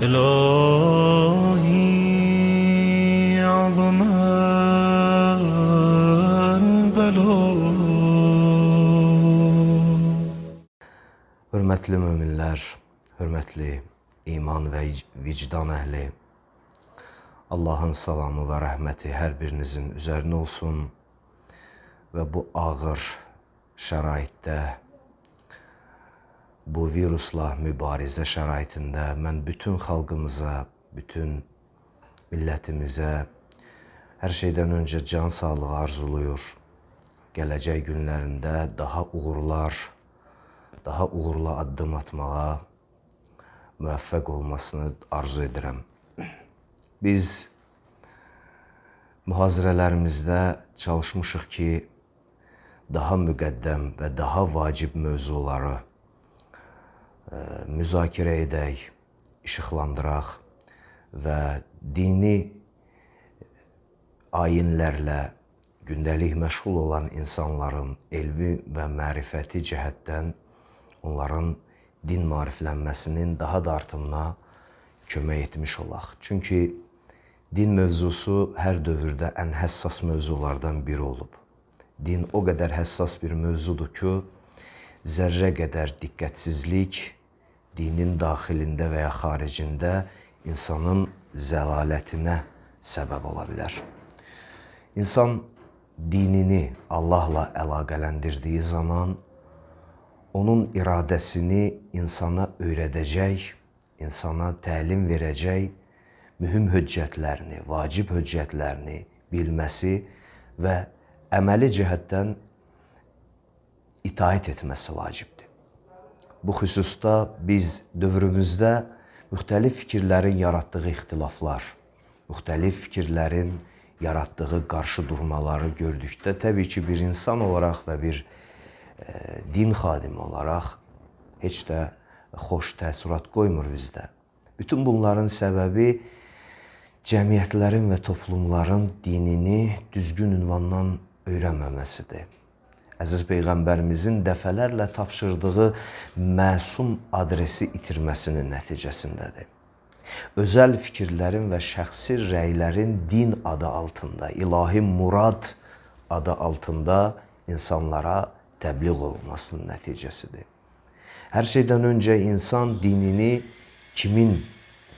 إلهي عظم البلاء. Hörmətli möminlər, hörmətli iman və vicdan əhli, Allahın salamı və rəhməti hər birinizin üzərinə olsun və bu ağır şəraitdə, bu virusla mübarizə şəraitində mən bütün xalqımıza, bütün millətimizə hər şeydən öncə can sağlığı arzuluyur. Gələcək günlərində daha uğurlu addım atmağa müvəffəq olmasını arzu edirəm. Biz mühazirələrimizdə çalışmışıq ki, daha müqəddəm və daha vacib mövzuları müzakirə edək, işıqlandıraq və dini ayinlərlə gündəlik məşğul olan insanların elmi və mərifəti cəhətdən onların din maariflənməsinin daha da artımına kömək etmiş olaq. Çünki din mövzusu hər dövrdə ən həssas mövzulardan biri olub. Din o qədər həssas bir mövzudur ki, zərrə qədər diqqətsizlik dinin daxilində və ya xaricində insanın zəlalətinə səbəb ola bilər. İnsan dinini Allahla əlaqələndirdiyi zaman onun iradəsini insana öyrədəcək, insana təlim verəcək mühüm höccətlərini, vacib höccətlərini bilməsi və əməli cəhətdən itaət etməsi vacibdir. Bu xüsusda biz dövrümüzdə müxtəlif fikirlərin yaratdığı ixtilaflar, müxtəlif fikirlərin yaratdığı qarşı durmaları gördükdə, təbii ki, bir insan olaraq və bir din xadimi olaraq heç də xoş təəssürat qoymur bizdə. Bütün bunların səbəbi cəmiyyətlərin və toplumların dinini düzgün ünvandan öyrənməməsidir. Əziz Peyğəmbərimizin dəfələrlə tapşırdığı məsum adresi itirməsinin nəticəsindədir. Özəl fikirlərin və şəxsi rəylərin din adı altında, ilahi murad adı altında insanlara təbliğ olunmasının nəticəsidir. Hər şeydən öncə insan dinini kimin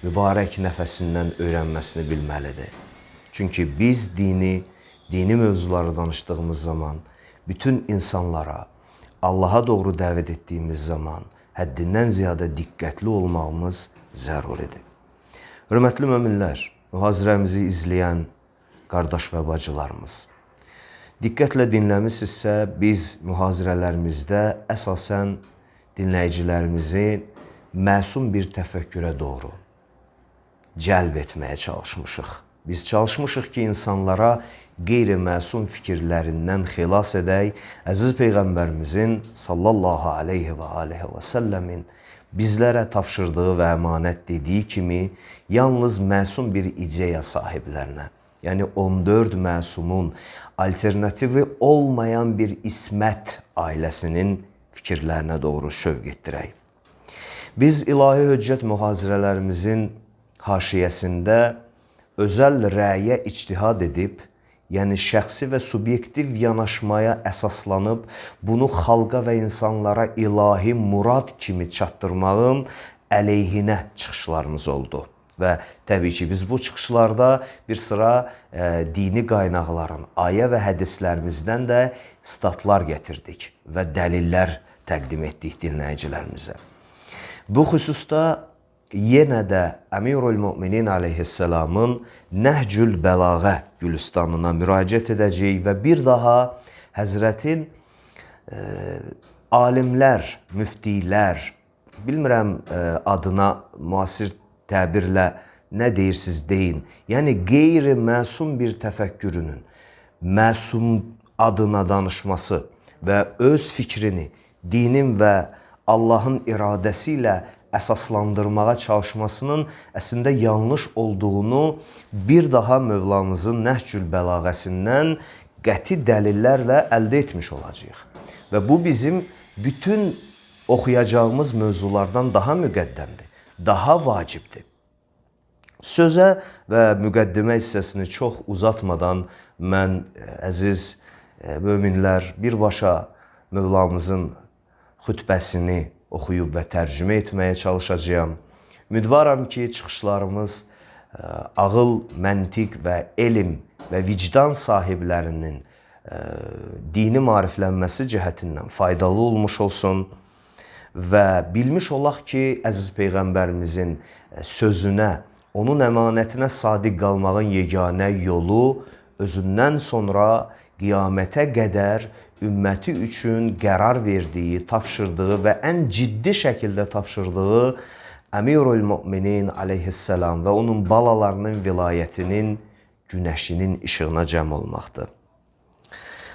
mübarək nəfəsindən öyrənməsini bilməlidir. Çünki biz dini mövzuları danışdığımız zaman bütün insanlara Allaha doğru dəvət etdiyimiz zaman həddindən ziyadə diqqətli olmağımız zəruridir. Hörmətli möminlər, mühazirəmizi izləyən qardaş və bacılarımız, diqqətlə dinləmişsinizsə, biz mühazirələrimizdə əsasən dinləyicilərimizi məsum bir təfəkkürə doğru cəlb etməyə çalışmışıq. Biz çalışmışıq ki, insanlara qeyri-məsum fikirlərindən xilas edək, əziz Peyğəmbərimizin sallallahu aleyhi və aleyhi və səlləmin bizlərə tapşırdığı və əmanət dediyi kimi, yalnız məsum bir ideya sahiblərinə, yəni 14 məsumun alternativi olmayan bir İsmət ailəsinin fikirlərinə doğru şövq etdirək. Biz ilahi höccət mühazirələrimizin haşiyəsində özəl rəyə ictihad edib, yəni şəxsi və subyektiv yanaşmaya əsaslanıb, bunu xalqa və insanlara ilahi murad kimi çatdırmağın əleyhinə çıxışlarımız oldu. Və təbii ki, biz bu çıxışlarda bir sıra dini qaynaqların, ayə və hədislərimizdən də statlar gətirdik və dəlillər təqdim etdik dinləyicilərimizə. Bu xüsusda yenə də Əmirül Müminin aleyhisselamın Nəhcül Bəlağə Gülüstanına müraciət edəcəyik və bir daha Həzrətin alimlər, müftilər, bilmirəm adına müasir təbirlə nə deyirsiniz deyin, yəni qeyri-məsum bir təfəkkürünün məsum adına danışması və öz fikrini dinin və Allahın iradəsi ilə əsaslandırmağa çalışmasının əslində yanlış olduğunu bir daha Mövlamızın Nəhcül Bəlağəsindən qəti dəlillərlə əldə etmiş olacağıq. Və bu bizim bütün oxuyacağımız mövzulardan daha müqəddəmdir, daha vacibdir. Sözə və müqəddimə hissəsini çox uzatmadan mən əziz möminlər birbaşa Mövlamızın xütbəsini oxuyub və tərcümə etməyə çalışacağam. Ümidvaram ki, çıxışlarımız ağıl, məntiq və elm və vicdan sahiblərinin dini maariflənməsi cəhətindən faydalı olmuş olsun və bilmiş olaq ki, əziz Peyğəmbərimizin sözünə, onun əmanətinə sadiq qalmağın yeganə yolu özündən sonra qiyamətə qədər ümməti üçün qərar verdiyi, tapşırdığı və ən ciddi şəkildə tapşırdığı Əmirül Müminin aleyhisselam və onun balalarının vilayətinin günəşinin işığına cəm olmaqdır.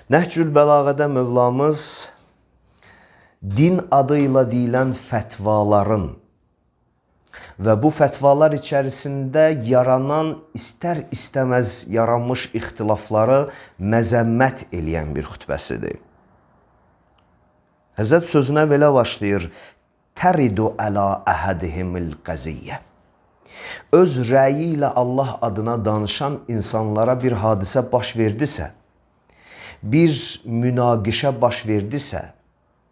Nəhcül Bəlağədə Mövlamız din adıyla deyilən fətvaların və bu fətvalar içərisində yaranan istər-istəməz yaranmış ixtilafları məzəmmət eləyən bir xütbəsidir. Həzrət sözünə belə başlayır: Təridu əla əhədihimil qəziyyə. Öz rəyi ilə Allah adına danışan insanlara bir hadisə baş verdisə, bir münaqişə baş verdisə,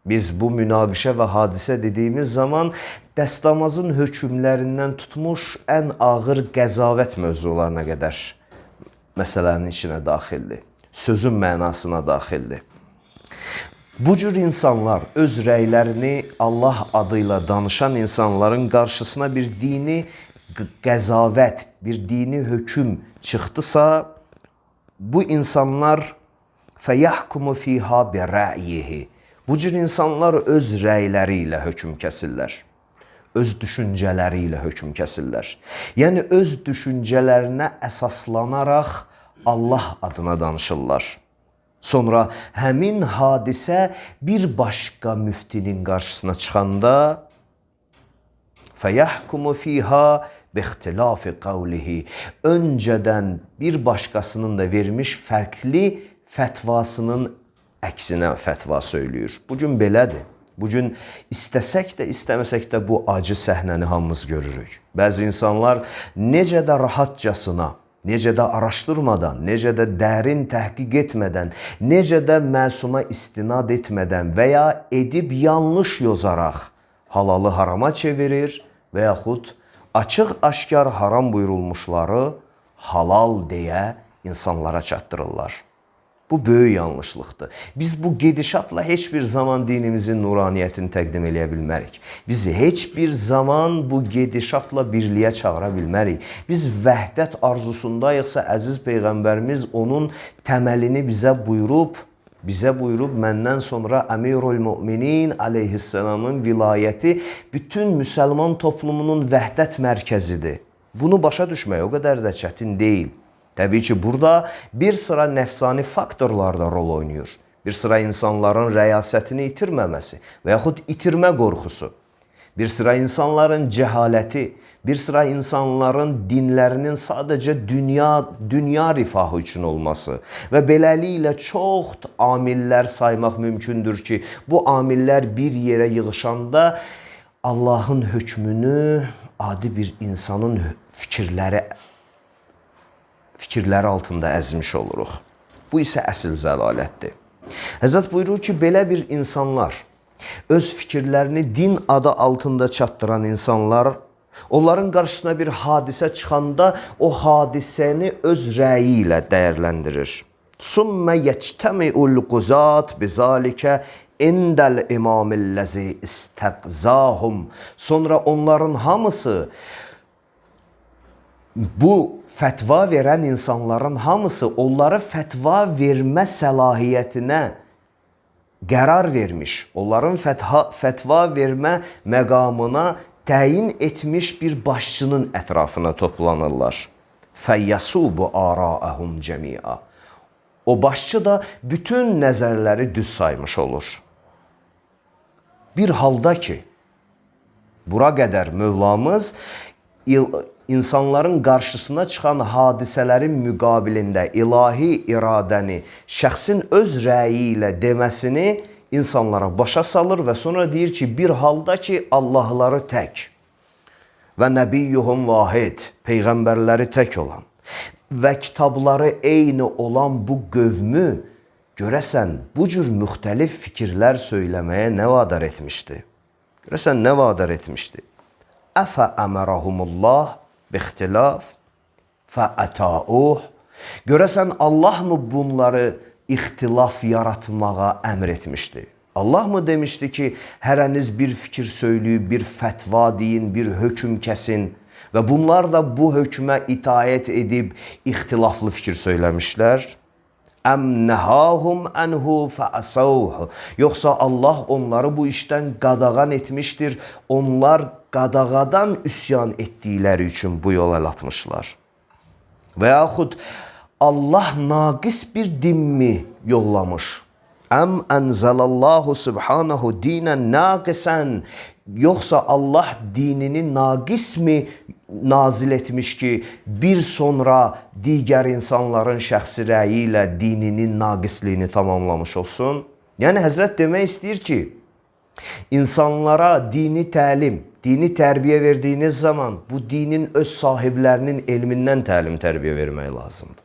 biz bu münaqişə və hadisə dediyimiz zaman dəstəmazın hökmlərindən tutmuş ən ağır qəzavət mövzularına qədər məsələnin içinə daxildir. Sözün mənasına daxildir. Bu cür insanlar öz rəylərini Allah adıyla danışan insanların qarşısına bir dini qəzavət, bir dini hökm çıxdısa, bu insanlar fəyəhkumu fiha bi rəyihi. Bu cür insanlar öz rəyləri ilə hökm kəsirlər. Öz düşüncələri ilə hökm kəsirlər. Yəni öz düşüncələrinə əsaslanaraq Allah adına danışırlar. Sonra həmin hadisə bir başqa müftinin qarşısına çıxanda fəyəhkumu fiha bixtilafi qavlihi. Öncədən bir başqasının da vermiş fərqli fətvasının əksinə fətva söylüyor. Bugün belədir. Bugün istəsək də, istəməsək də bu acı səhnəni hamımız görürük. Bəzi insanlar necə də rahatcasına, necə də araşdırmadan, necə də dərin təhqiq etmədən, necə də məsuma istinad etmədən və ya edib yanlış yozaraq halalı harama çevirir və yaxud açıq-aşkar haram buyurulmuşları halal deyə insanlara çatdırırlar. Bu böyük yanlışlıqdır. Biz bu gedişatla heç bir zaman dinimizin nuraniyyətini təqdim eləyə bilmərik. Biz heç bir zaman bu gedişatla birliyə çağıra bilmərik. Biz vəhdət arzusundayıqsa, əziz Peyğəmbərimiz onun təməlini bizə buyurub, məndən sonra Əmirül Müminin aleyhisselamın vilayəti bütün müsəlman toplumunun vəhdət mərkəzidir. Bunu başa düşmək o qədər də çətin deyil. Təbii ki, burada bir sıra nəfsani faktorlar da rol oynayır. Bir sıra insanların rəyasətini itirməməsi və yaxud itirmə qorxusu, bir sıra insanların cəhaləti, bir sıra insanların dinlərinin sadəcə dünya rifahı üçün olması və beləliklə çox amillər saymaq mümkündür ki, bu amillər bir yerə yığışanda Allahın hökmünü adi bir insanın fikirləri altında əzmiş oluruq. Bu isə əsl zəlalətdir. Həzrət buyurur ki, belə bir insanlar, öz fikirlərini din adı altında çatdıran insanlar, onların qarşısına bir hadisə çıxanda o hadisəni öz rəyi ilə dəyərləndirir. Sümmə yəctəmi'ul quzat bizalikə indəl imamilləzi istəqzahum. Sonra onların hamısı, bu fətva verən insanların hamısı onları fətva vermə səlahiyyətinə qərar vermiş, onların fətva vermə məqamına təyin etmiş bir başçının ətrafına toplanırlar. Fəyyəsubu ara'əhum cəmi'a. O başçı da bütün nəzərləri düz saymış olur. Bir halda ki, bura qədər Mövlamız insanların qarşısına çıxan hadisələrin müqabilində ilahi iradəni şəxsin öz rəyi ilə deməsini insanlara başa salır və sonra deyir ki, bir halda ki, Allahları tək və nəbiyyuhum vahid, peyğəmbərləri tək olan və kitabları eyni olan bu qövmü görəsən bu cür müxtəlif fikirlər söyləməyə nə vadar etmişdi? Görəsən nə vadar etmişdi? Əfə əmərəhumullah bixtilaf fəətəuh. Görəsən Allah mı bunları ixtilaf yaratmağa əmr etmişdi? Allah mı demişdi ki, hərəniz bir fikir söyləyib, bir fətva deyin, bir hökm kəsin və bunlar da bu hökmə itaət edib ixtilaflı fikir söyləmişlər? Əm nəhahum ənhu fəəsəuh. Yoxsa Allah onları bu işdən qadağan etmişdir, onlar qadağadan üsyan etdikləri üçün bu yola əl atmışlar. Və yaxud Allah naqis bir dinmi yollamış? Əm ənzəlallahu subhanahu dinən naqisən. Yoxsa Allah dinini naqis mi nazil etmiş ki, bir sonra digər insanların şəxsi rəyi ilə dininin naqisliyini tamamlamış olsun? Yəni Həzrət demək istəyir ki, insanlara dini təlim, dini tərbiyə verdiyiniz zaman bu dinin öz sahiblərinin elmindən təlim tərbiyə vermək lazımdır.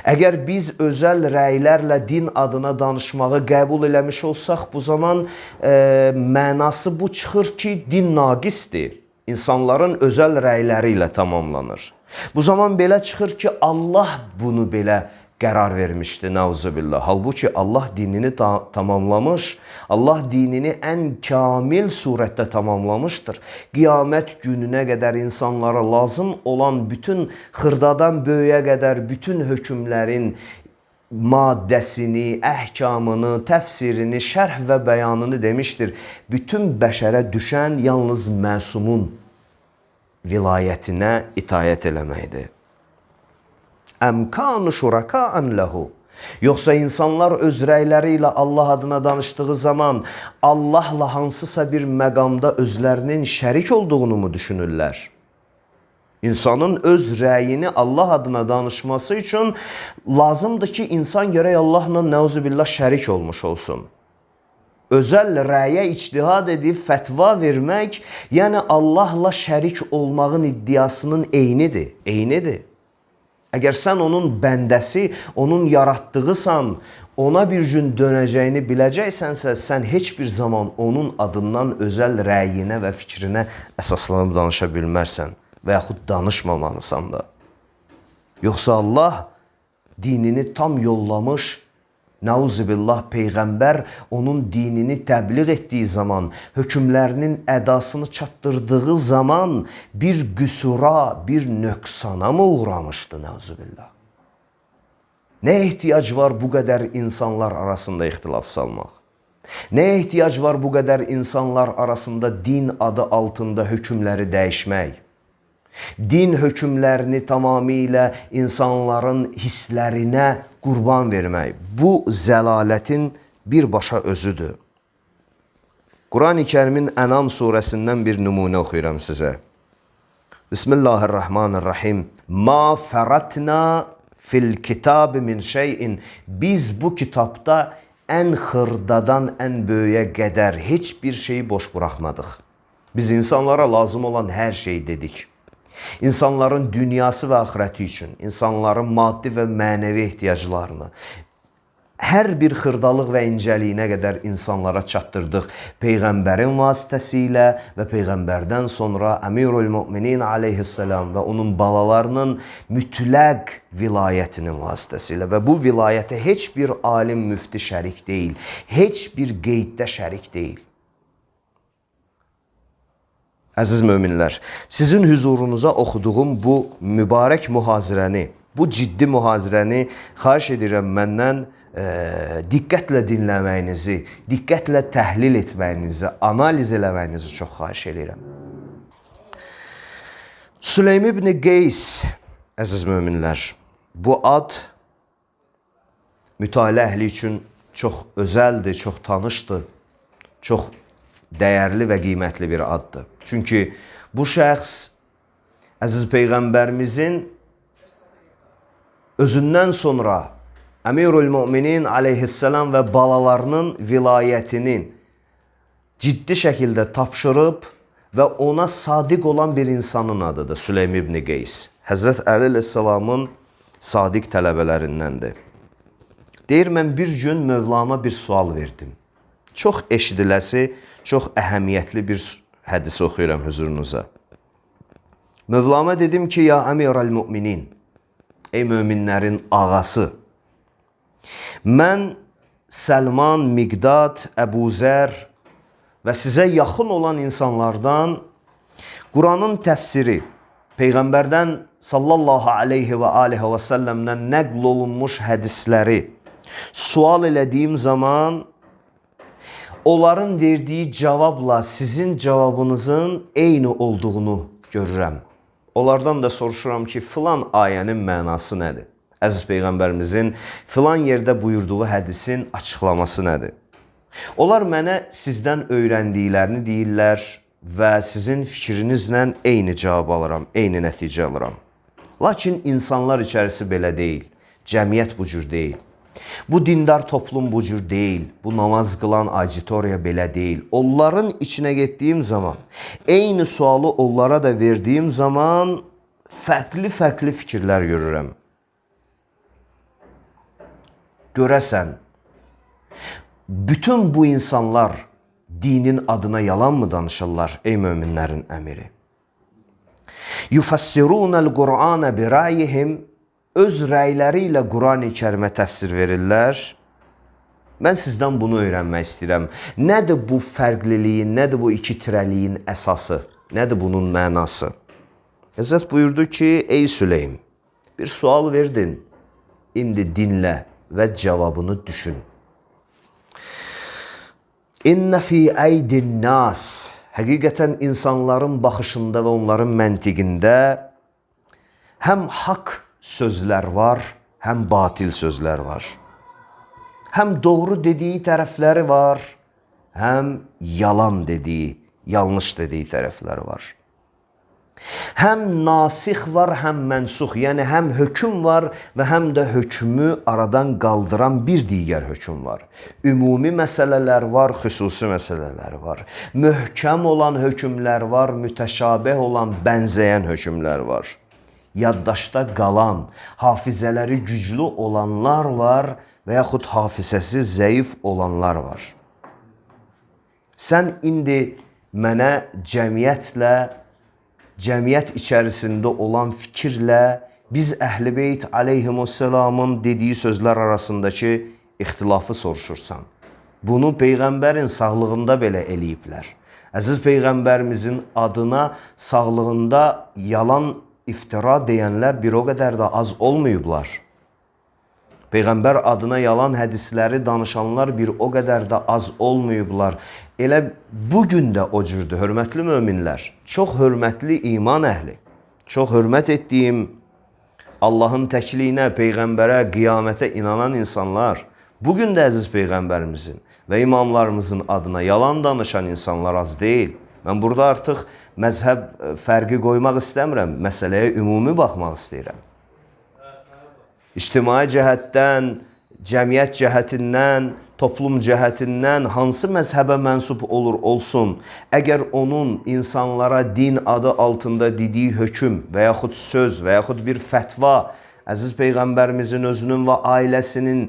Əgər biz özəl rəylərlə din adına danışmağı qəbul eləmiş olsaq, bu zaman mənası bu çıxır ki, din naqisdir. İnsanların özəl rəyləri ilə tamamlanır. Bu zaman belə çıxır ki, Allah bunu belə qərar vermişdi, nəuzubillah. Halbuki Allah dinini tamamlamış, Allah dinini ən kamil surətdə tamamlamışdır. Qiyamət gününə qədər insanlara lazım olan bütün xırdadan böyüyə qədər bütün hökmlərin maddəsini, əhkamını, təfsirini, şərh və bəyanını demişdir. Bütün bəşərə düşən yalnız məsumun vilayətinə itayət eləməkdir. Əm kanu şuraka'an lehu. Yoxsa insanlar öz rəyləri ilə Allah adına danışdığı zaman Allahla hansısa bir məqamda özlərinin şərik olduğunu mu düşünürlər? İnsanın öz rəyini Allah adına danışması üçün lazımdır ki, insan gərək Allahla nəuzubillah şərik olmuş olsun. Özəl rəyə ictihad edib fətva vermək, yəni Allahla şərik olmağın iddiasının eynidir. Əgər sən onun bəndəsi, onun yaratdığısan, ona bir gün dönəcəyini biləcəksənsə, sən heç bir zaman onun adından özəl rəyinə və fikrinə əsaslanıb danışa bilmərsən və yaxud danışmamalısan da. Yoxsa Allah dinini tam yollamış, Nauzubillah, Peyğəmbər onun dinini təbliğ etdiyi zaman, hökmlərinin ədasını çatdırdığı zaman bir qüsura, bir nöqsana mı uğramışdı? Nauzubillah. Nə ehtiyac var bu qədər insanlar arasında ixtilaf salmaq? Nə ehtiyac var bu qədər insanlar arasında din adı altında hökmləri dəyişmək? Din hökmlərini tamamilə insanların hisslərinə qurban vermək. Bu zəlalətin birbaşa özüdür. Quran-ı Kərimin Ənam surəsindən bir nümunə oxuyuram sizə. Bismillahirrahmanirrahim. Ma fəratna fil kitab min şeyin. Biz bu kitabda ən xırdadan ən böyüyə qədər heç bir şeyi boş buraxmadıq. Biz insanlara lazım olan hər şeyi dedik. İnsanların dünyası və axirəti üçün, insanların maddi və mənəvi ehtiyaclarını, hər bir xırdalıq və incəliyinə qədər insanlara çatdırdıq. Peyğəmbərin vasitəsilə və Peyğəmbərdən sonra Əmirül Müminin aleyhissalam və onun balalarının mütləq vilayətinin vasitəsilə və bu vilayətə heç bir alim müfti şərik deyil, heç bir qeyddə şərik deyil. Əziz möminlər, sizin hüzurunuza oxuduğum bu mübarək mühazirəni, bu ciddi mühazirəni xahiş edirəm məndən diqqətlə dinləməyinizi, diqqətlə təhlil etməyinizi, analiz eləməyinizi çox xahiş edirəm. Süleym ibn Qeys, əziz möminlər, bu ad mütaliə əhli üçün çox özəldir, çox tanışdır, çox dəyərli və qiymətli bir addır. Çünki bu şəxs əziz Peyğəmbərimizin özündən sonra Əmirül Müminin aleyhissalam və balalarının vilayətinin ciddi şəkildə tapşırıb və ona sadiq olan bir insanın adıdır Süleym ibn Qeys. Həzrət Əli əleyhissalamın sadiq tələbələrindəndir. Deyir, mən bir gün Mövlama bir sual verdim. Çox eşidiləsi, çox əhəmiyyətli bir hədisi oxuyuram huzurunuza. Mövlama dedim ki, ya əmirəl müminin, ey möminlərin ağası, mən Səlman, Miqdad, Əbu Zər və sizə yaxın olan insanlardan Quranın təfsiri, Peyğəmbərdən sallallahu aleyhi və aleyhi və səlləmdən nəql olunmuş hədisləri sual elədiyim zaman onların verdiyi cavabla sizin cavabınızın eyni olduğunu görürəm. Onlardan da soruşuram ki, filan ayənin mənası nədir? Əziz Peyğəmbərimizin filan yerdə buyurduğu hədisin açıqlaması nədir? Onlar mənə sizdən öyrəndiklərini deyirlər və sizin fikrinizlə eyni cavab alıram, eyni nəticə alıram. Lakin insanlar içərisi belə deyil, cəmiyyət bu cür deyil. Bu dindar toplum bu cür deyil, bu namaz qılan auditoriya belə deyil. Onların içinə getdiyim zaman, eyni sualı onlara da verdiyim zaman fərqli fikirlər görürəm. Görəsən, bütün bu insanlar dinin adına yalan mı danışırlar, ey möminlərin əmiri? Yufassirunəl Qur'anə birayihim, öz rəyləri ilə Quran-ı Kərimə təfsir verirlər. Mən sizdən bunu öyrənmək istəyirəm. Nədir bu fərqliliyin, nədir bu iki tirəliyin əsası, nədir bunun mənası? Həzrət buyurdu ki, ey Süleym, bir sual verdin, indi dinlə və cavabını düşün. İnnə fi əydin nas, həqiqətən insanların baxışında və onların məntiqində həm haqq sözlər var, həm batil sözlər var. Həm doğru dediyi tərəfləri var, həm yalan dediyi, yanlış dediyi tərəfləri var. Həm nasix var, həm mənsux, yəni həm hökm var və həm də hökmü aradan qaldıran bir digər hökm var. Ümumi məsələlər var, xüsusi məsələlər var. Möhkəm olan hökmlər var, mütəşabih olan, bənzəyən hökmlər var. Yaddaşda qalan, hafizələri güclü olanlar var və yaxud hafizəsi zəif olanlar var. Sən indi mənə cəmiyyət içərisində olan fikirlə biz Əhl-i Beyt aleyhimussalamın dediyi sözlər arasındakı ixtilafı soruşursan. Bunu Peyğəmbərin sağlığında belə eləyiblər. Əziz Peyğəmbərimizin adına sağlığında yalan iftira deyənlər bir o qədər də az olmayıblar. Peyğəmbər adına yalan hədisləri danışanlar bir o qədər də az olmayıblar. Elə bugün də o cürdür, hörmətli möminlər. Çox hörmətli iman əhli, çox hörmət etdiyim Allahın təkliyinə, Peyğəmbərə, qiyamətə inanan insanlar, bugün də əziz Peyğəmbərimizin və imamlarımızın adına yalan danışan insanlar az deyil. Mən burada artıq məzhəb fərqi qoymaq istəmirəm, məsələyə ümumi baxmaq istəyirəm. İctimai cəhətdən, cəmiyyət cəhətindən, toplum cəhətindən hansı məzhəbə mənsub olur olsun, əgər onun insanlara din adı altında dediyi hökm və yaxud söz və yaxud bir fətva əziz Peyğəmbərimizin özünün və ailəsinin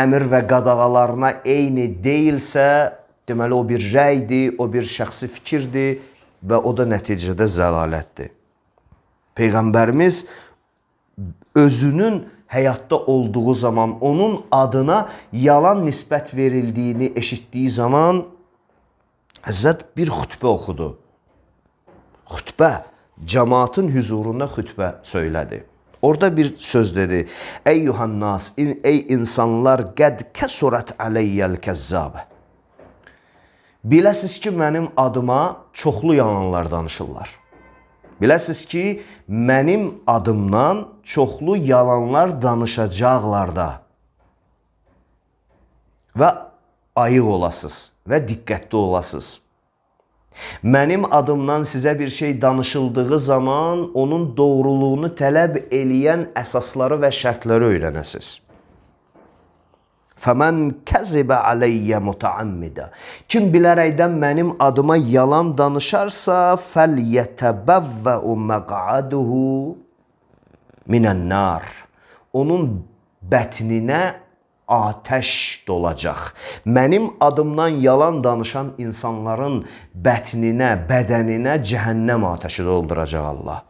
əmr və qadağalarına eyni deyilsə, deməli, o bir rəydir, o bir şəxsi fikirdir və o da nəticədə zəlalətdir. Peyğəmbərimiz özünün həyatda olduğu zaman, onun adına yalan nisbət verildiyini eşitdiyi zaman Həzrət bir xütbə oxudu. Xütbə, cəmaatın hüzurunda xütbə söylədi. Orada bir söz dedi. Eyyuhannas, ey insanlar, qəd kəsurət ələyyəl kəzzabə. Biləsiz ki, mənim adıma çoxlu yalanlar danışırlar. Biləsiz ki, mənim adımdan çoxlu yalanlar danışacaqlar da. Və ayıq olasınız və diqqətli olasınız. Mənim adımdan sizə bir şey danışıldığı zaman onun doğruluğunu tələb eləyən əsasları və şərtləri öyrənəsiniz. Fəmən kəzibə aleyyə mutəammidə. Kim bilərəkdən mənim adıma yalan danışarsa, fəlyətəbəvvəu məqaduhu minən nar. Onun bətninə atəş dolacaq. Mənim adımdan yalan danışan insanların bətninə, bədəninə cəhənnəm atəşi dolduracaq Allah.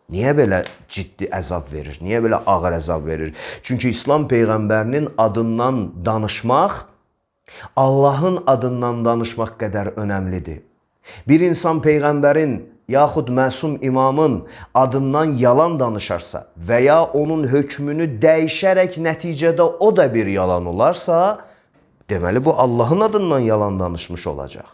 Niyə belə ciddi əzab verir? Niyə belə ağır əzab verir? Çünki İslam Peyğəmbərinin adından danışmaq, Allahın adından danışmaq qədər önəmlidir. Bir insan Peyğəmbərin yaxud məsum imamın adından yalan danışarsa və ya onun hökmünü dəyişərək nəticədə o da bir yalan olarsa, deməli bu Allahın adından yalan danışmış olacaq.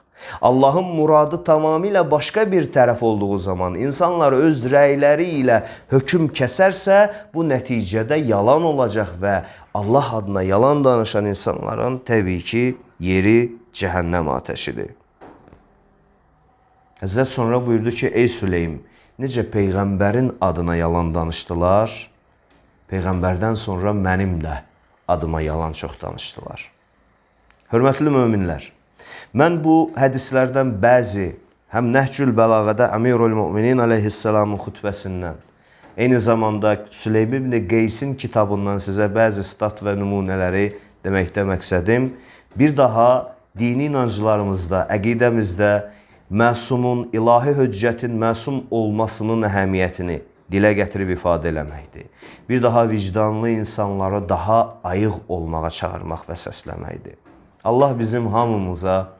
Allahın muradı tamamilə başqa bir tərəf olduğu zaman insanlar öz rəyləri ilə hökm kəsərsə, bu nəticədə yalan olacaq və Allah adına yalan danışan insanların təbii ki, yeri cəhənnəm atəşidir. Həzrət sonra buyurdu ki, ey Süleym, necə Peyğəmbərin adına yalan danışdılar, Peyğəmbərdən sonra mənim də adıma yalan çox danışdılar. Hörmətli möminlər, mən bu hədislərdən bəzi, həm Nəhcül Bəlağədə Əmirül Müminin əleyhissalamın xütbəsindən, eyni zamanda Süleym ibn Qeysin kitabından sizə bəzi stat və nümunələri deməkdə məqsədim, bir daha dini inanclarımızda, əqidəmizdə məsumun, ilahi höccətin məsum olmasının əhəmiyyətini dilə gətirib ifadə eləməkdir. Bir daha vicdanlı insanları daha ayıq olmağa çağırmaq və səsləməkdir. Allah bizim hamımıza,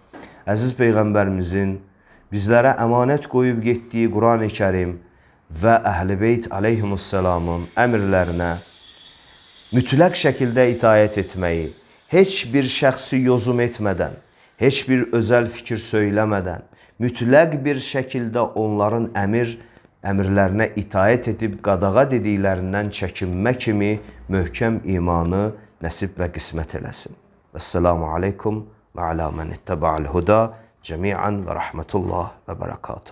əziz Peyğəmbərimizin bizlərə əmanət qoyub getdiyi Quran-ı Kərim və Əhl-i Beyt aleyhimussalamın əmrlərinə mütləq şəkildə itayət etməyi, heç bir şəxsi yozum etmədən, heç bir özəl fikir söyləmədən, mütləq bir şəkildə onların əmrlərinə itayət edib qadağa dediklərindən çəkinmə kimi möhkəm imanı nəsib və qismət eləsin. Vəssalamu aleykum və alə mən ittəba'al huda cəmiən və rəhmətullah və bərəkatuhu.